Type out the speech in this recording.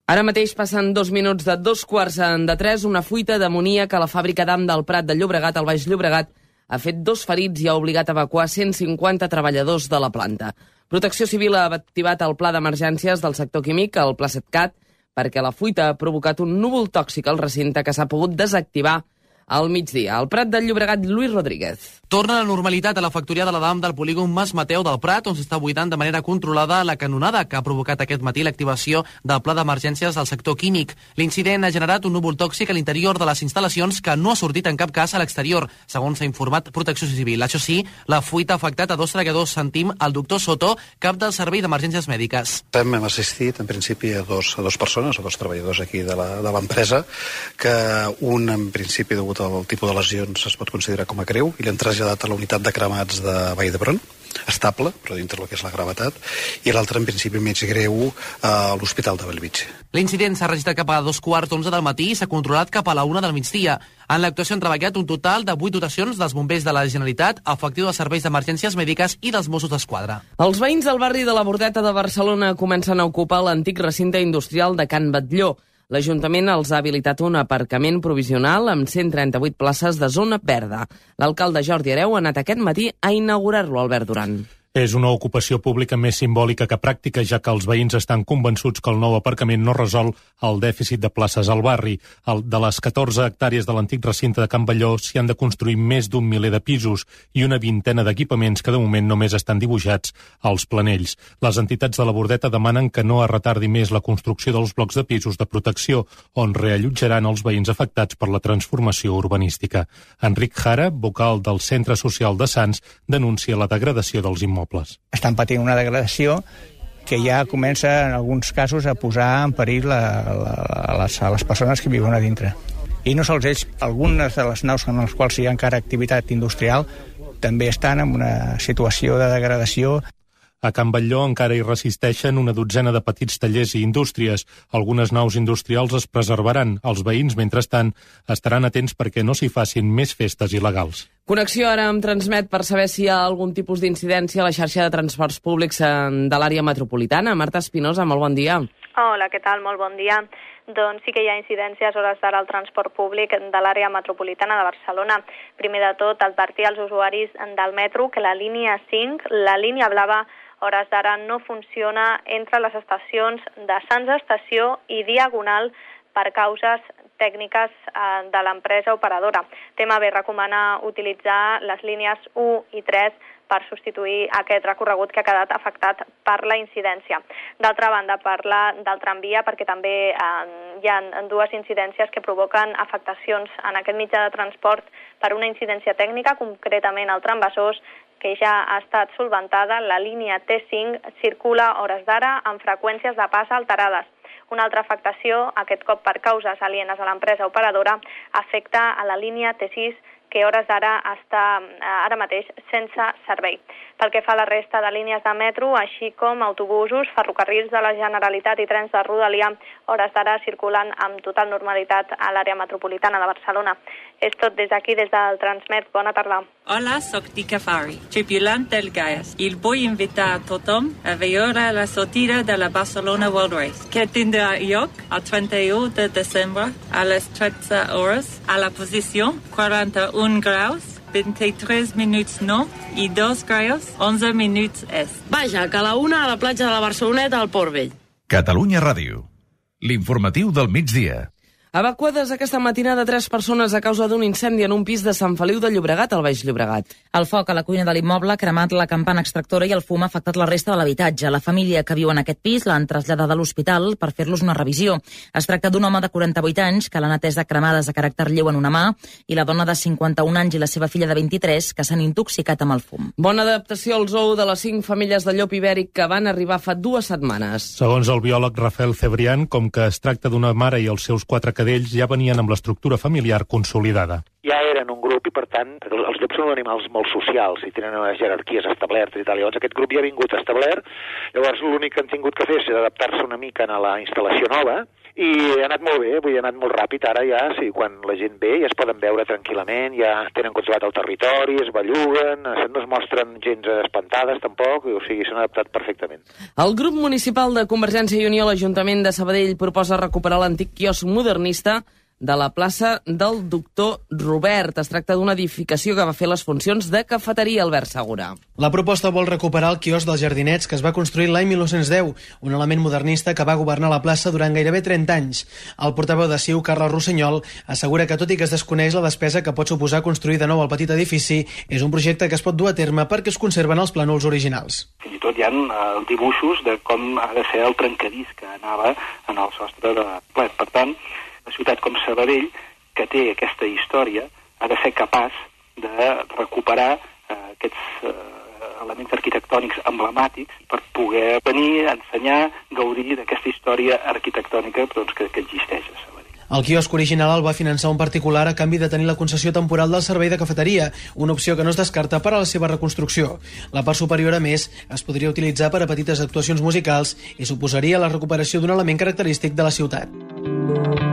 Ara mateix passen 2 minuts de 2:45, una fuita d'amoníac a la fàbrica d'Am del Prat de Llobregat, al Baix Llobregat, ha fet 2 ferits i ha obligat a evacuar 150 treballadors de la planta. Protecció Civil ha activat el pla d'emergències del sector químic, el Pla Setcat, perquè la fuita ha provocat un núvol tòxic al recinte que s'ha pogut desactivar al migdia. Al Prat del Llobregat, Lluís Rodríguez. Torna a la normalitat a la factoria de la DAM del polígon Mas Mateu del Prat, on s'està buidant de manera controlada la canonada que ha provocat aquest matí l'activació del pla d'emergències del sector químic. L'incident ha generat un núvol tòxic a l'interior de les instal·lacions que no ha sortit en cap cas a l'exterior, segons s'ha informat Protecció Civil. Això sí, la fuita ha afectat a 2 treballadors, sentim el doctor Soto, cap del Servei d'Emergències Mèdiques. Hem assistit, en principi, a dos persones, a 2 treballadors aquí de l'empresa, que un, en principi, degut al tipus de lesions, es pot considerar com a greu, i l'hem traslladat a la unitat de cremats de Vall d'Hebron, estable, però dintre del que és la gravetat, i l'altre, en principi, més greu, a l'Hospital de Bellvitge. L'incident s'ha registrat cap a 2:15 del matí i s'ha controlat cap a la 1 del migdia. En l'actuació han treballat un total de 8 dotacions dels bombers de la Generalitat, efectiu dels serveis d'emergències mèdiques i dels Mossos d'Esquadra. Els veïns del barri de la Bordeta de Barcelona comencen a ocupar l'antic recinte industrial de Can Batlló. L'Ajuntament els ha habilitat un aparcament provisional amb 138 places de zona verda. L'alcalde Jordi Hereu ha anat aquest matí a inaugurar-lo, Albert Duran. És una ocupació pública més simbòlica que pràctica, ja que els veïns estan convençuts que el nou aparcament no resol el dèficit de places al barri. De les 14 hectàrees de l'antic recinte de Can Batlló s'hi han de construir més d'un miler de pisos i una vintena d'equipaments que de moment només estan dibuixats als planells. Les entitats de la Bordeta demanen que no es retardi més la construcció dels blocs de pisos de protecció, on reallotjaran els veïns afectats per la transformació urbanística. Enric Jara, vocal del Centre Social de Sants, denuncia la degradació dels immobles. Estan patint una degradació que ja comença, en alguns casos, a posar en perill a les persones que viuen a dintre. I no sols ells, algunes de les naus en les quals hi ha encara activitat industrial també estan en una situació de degradació. A Can Batlló encara hi resisteixen una dotzena de petits tallers i indústries. Algunes naus industrials es preservaran. Els veïns, mentrestant, estaran atents perquè no s'hi facin més festes il·legals. Connexió ara amb Transmet per saber si hi ha algun tipus d'incidència a la xarxa de transports públics de l'àrea metropolitana. Marta Espinosa, molt bon dia. Hola, què tal? Molt bon dia. Doncs sí que hi ha incidències a hores d'ara al transport públic de l'àrea metropolitana de Barcelona. Primer de tot, advertir als usuaris del metro que la línia 5, la línia blava, a hores d'ara no funciona entre les estacions de Sants Estació i Diagonal per causes tècniques de l'empresa operadora. TMB recomana utilitzar les línies 1 i 3 per substituir aquest recorregut que ha quedat afectat per la incidència. D'altra banda, parla del tramvia perquè també hi ha 2 incidències que provoquen afectacions en aquest mitjà de transport per una incidència tècnica, concretament el tram Besòs, que ja ha estat solventada. La línia T5 circula a hores d'ara amb freqüències de pas alterades. Una altra afectació, aquest cop per causes alienes a l'empresa operadora, afecta a la línia T6, que a hores d'ara està ara mateix sense servei. Pel que fa a la resta de línies de metro, així com autobusos, ferrocarrils de la Generalitat i trens de Rodalia, a hores d'ara circulen amb total normalitat a l'àrea metropolitana de Barcelona. És tot des d'aquí, des del Transmet. Bona tarda. Hola, soc Tika Fari, tripulant del Gaies. I vull invitar a tothom a veure la sortida de la Barcelona World Race, que tindrà lloc el 31 de desembre a les 13 hores a la posició 41 graus, 23 minuts nord i 2 graus, 11 minuts est. Vaja, que a la 1 a la platja de la Barceloneta al Port Vell. Catalunya Ràdio, l'informatiu del migdia. Evacuades aquesta matinada 3 persones a causa d'un incendi en un pis de Sant Feliu de Llobregat, al Baix Llobregat. El foc a la cuina de l'immoble ha cremat la campana extractora i el fum ha afectat la resta de l'habitatge. La família que viu en aquest pis l'han traslladada a l'hospital per fer-los una revisió. Es tracta d'un home de 48 anys que l'han atès de cremades de caràcter lleu en una mà i la dona de 51 anys i la seva filla de 23 que s'han intoxicat amb el fum. Bona adaptació al zoo de les 5 famílies de llop ibèric que van arribar fa 2 setmanes. Segons el biòleg Rafael Cebrián, com que es tracta d'una mare i els seus 4 cadells, ja venien amb l'estructura familiar consolidada. Ja eren un grup i, per tant, els llops són animals molt socials i tenen unes jerarquies establertes i tal. Llavors aquest grup ja ha vingut establert, llavors l'únic que han tingut que fer és adaptar-se una mica a la instal·lació nova I ha anat molt bé, ha anat molt ràpid. Ara ja, sí, quan la gent ve ja es poden veure tranquil·lament, ja tenen controlat el territori, es belluguen, no es mostren gens espantades tampoc, o sigui, s'han adaptat perfectament. El grup municipal de Convergència i Unió a l'Ajuntament de Sabadell proposa recuperar l'antic quiosc modernista de la plaça del Doctor Robert. Es tracta d'una edificació que va fer les funcions de cafeteria, Albert Segura. La proposta vol recuperar el quiosc dels Jardinets, que es va construir l'any 1910, un element modernista que va governar la plaça durant gairebé 30 anys. El portaveu de CiU, Carles Rossinyol, assegura que tot i que es desconeix la despesa que pot suposar construir de nou el petit edifici, és un projecte que es pot dur a terme perquè es conserven els plànols originals. Fins i tot hi ha dibuixos de com ha de ser el trencadís que anava en el sostre de plet. Per tant, la ciutat com Sabadell, que té aquesta història, ha de ser capaç de recuperar aquests elements arquitectònics emblemàtics per poder venir a ensenyar, gaudir d'aquesta història arquitectònica que existeix a Sabadell. El quiosc original el va finançar un particular a canvi de tenir la concessió temporal del servei de cafeteria, una opció que no es descarta per a la seva reconstrucció. La part superior, a més, es podria utilitzar per a petites actuacions musicals i suposaria la recuperació d'un element característic de la ciutat.